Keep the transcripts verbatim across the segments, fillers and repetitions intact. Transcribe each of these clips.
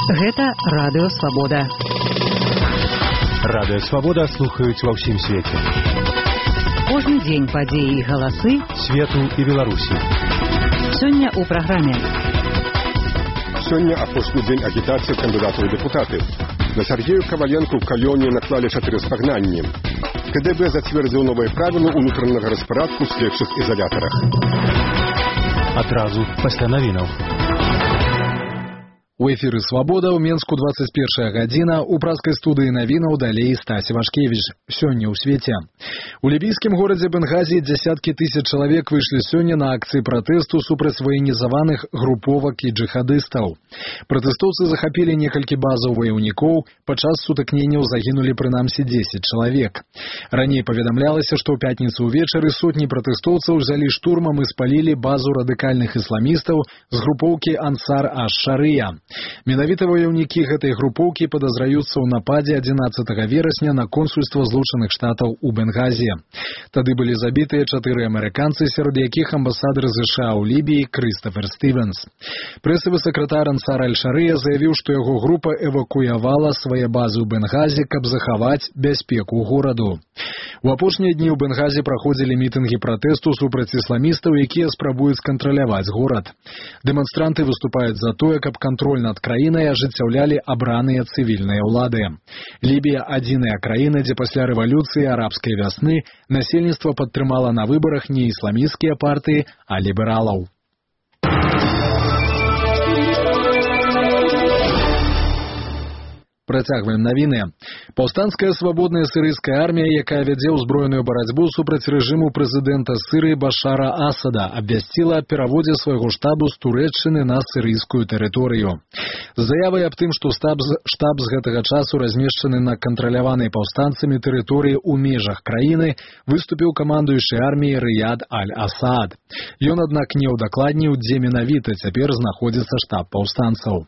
Гэта Радыё Свабода. Радыё Свабода слухаюць ва ўсім свеце. Кожны дзень падзеі і галасы свету і Беларусі. Сёння ў праграме. Сёння апошні дзень агітацыі кандыдатаў у дэпутаты. На Сергею Коваленку в Калёне наклалі чатыры спагнанні. КДБ зацвердзіў новыя правілы ўнутранага распарадку ў следчых ізалятарах. Адразу пасля навінаў. У эфіры «Свабода» ў Менску двадцать первая гадзіна, у праскай студыі навінаў далей Стась Вашкевіч. Сёння ў свеце. У лібійскім горадзе Бенгазі дзясяткі тысяч чалавек выйшлі сёння на акцыі пратэсту супраць ваенізаваных груповак і джихадыстаў. Пратэстоўцы захапілі некалькі базаў ваяўнікоў, падчас сутыкненняў загінулі прынамсі дзесяць чалавек. Раней паведамлялася, што ў пятніцу ўвечары сотні пратэстоўцаў узялі штурмам і спалілі базу радыкальных ісламістаў з групоўкі Ансар аш-Шарыя. Менавіта ваяўнікі гэтай групоўкі падазраюцца ў нападзе адзінаццатага верасня на консульства Злучаных Штатаў у Бенгазі. Тады былі забітыя чатыры амерыканцы, сярод якіх амбасадар ЗША ў Лібіі Крыстафер Стывенс. Прэсавы сакратар Ансар аль-Шарыя заявіў, што яго група эвакуявала свае базы ў Бенгазі, каб захаваць бяспеку гораду. У апошнія дні ў Бенгазі праходзілі мітынгі пратэсту супраць ісламістаў, якія спрабуюць кантраляваць горад. Дэманстранты выступаюць за тое, каб кантроль над краінай ажыццяўлялі абраныя цывільныя ўлады. Лібія – адзіная краіна, дзе пасля рэвалюцыі арабскай вясны насельніцтва падтрымала на выбарах не ісламісцкія партыі, а лібералаў. Працягваем навіны. Паўстанцкая свабодная сірыйская армія, якая вядзе ўзброеную барацьбу супраць рэжыму прэзідэнта Сірыі Башара Асада, абвясціла аб пераводзе свайго штабу з Турэччыны на сірыйскую тэрыторыю. З заявай аб тым, што штаб, штаб з гэтага часу размешчаны на кантраляванай паўстанцамі тэрыторыі ў межах краіны, выступіў камандуючы арміі Рыяд аль-Асад. Ён, аднак, не ўдакладніў, дзе менавіта цяпер знаходзіцца штаб паўстанцаў.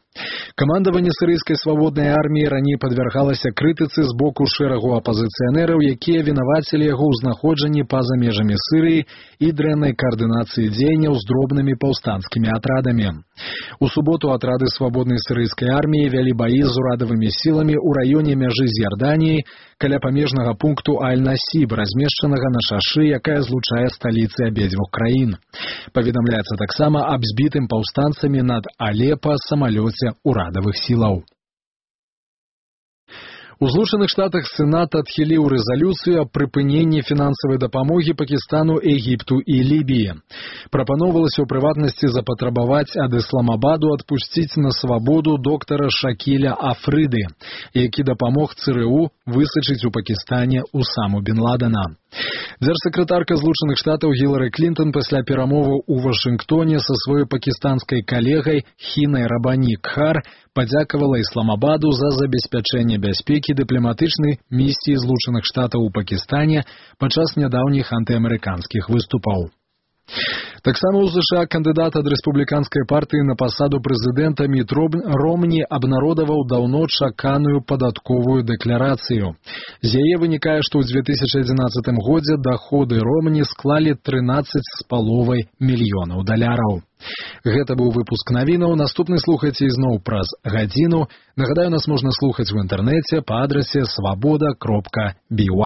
Камандаванне сірыйскай свабоднай арміі раней падвяргалася крытыцы з боку шэрагу апазіцыянераў, якія вінавацілі яго ў знаходжанні па-за межамі Сірыі і дрэннай каардынацыі дзеянняў з дробнымі паўстанцкімі атрадамі. У суботу атрады свабоднай сірыйскай арміі вялі баі з урадавымі сіламі ў раёне мяжы з Ярданіяй каля памежнага пункту Аль-Насіб, размешчанага на шашы, якая злучае сталіцы абедзвюх краін. Паведамляецца таксама аб збітым паўстанцамі над Алепа самалёце урадавых сілаў. У Злучаных Штатах Сенат адхіліў рэзалюцыю аб прыпыненні фінансавай дапамогі Пакістану, Егіпту і Лібіі. Прапаноўвалася ў прыватнасці запатрабаваць ад Ісламабаду адпусціць на свабоду доктара Шакіля Афрыды, які дапамог ЦРУ высачыць у Пакістане Усаму бен Ладена. Дзяржсакратарка Злучаных Штатаў Гілары Клінтон пасля перамоваў у Вашынгтоне са сваёй пакістанскай калегай Хінай Рабані Кхар падзякавала Ісламабаду за забеспячэнне бяспекі дыпламатычнай місіі Злучаных Штатаў у Пакістане падчас нядаўніх антыамерыканскіх выступаў. Таксама ў ЗША кандыдат ад рэспубліканскай партыі на пасаду прэзідэнта Міт Ромні абнародаваў даўно чаканую падатковую дэкларацыю. З яе вынікае, што ў дзве тысячы адзінаццатым годзе даходы Ромні склалі трынаццаць з паловай мільёнаў даляраў. Гэта быў выпуск навінаў. Наступны слухайце ізноў праз гадзіну. Нагадаю, нас можна слухаць у інтэрнэце па адрасе свабода кропка би уай.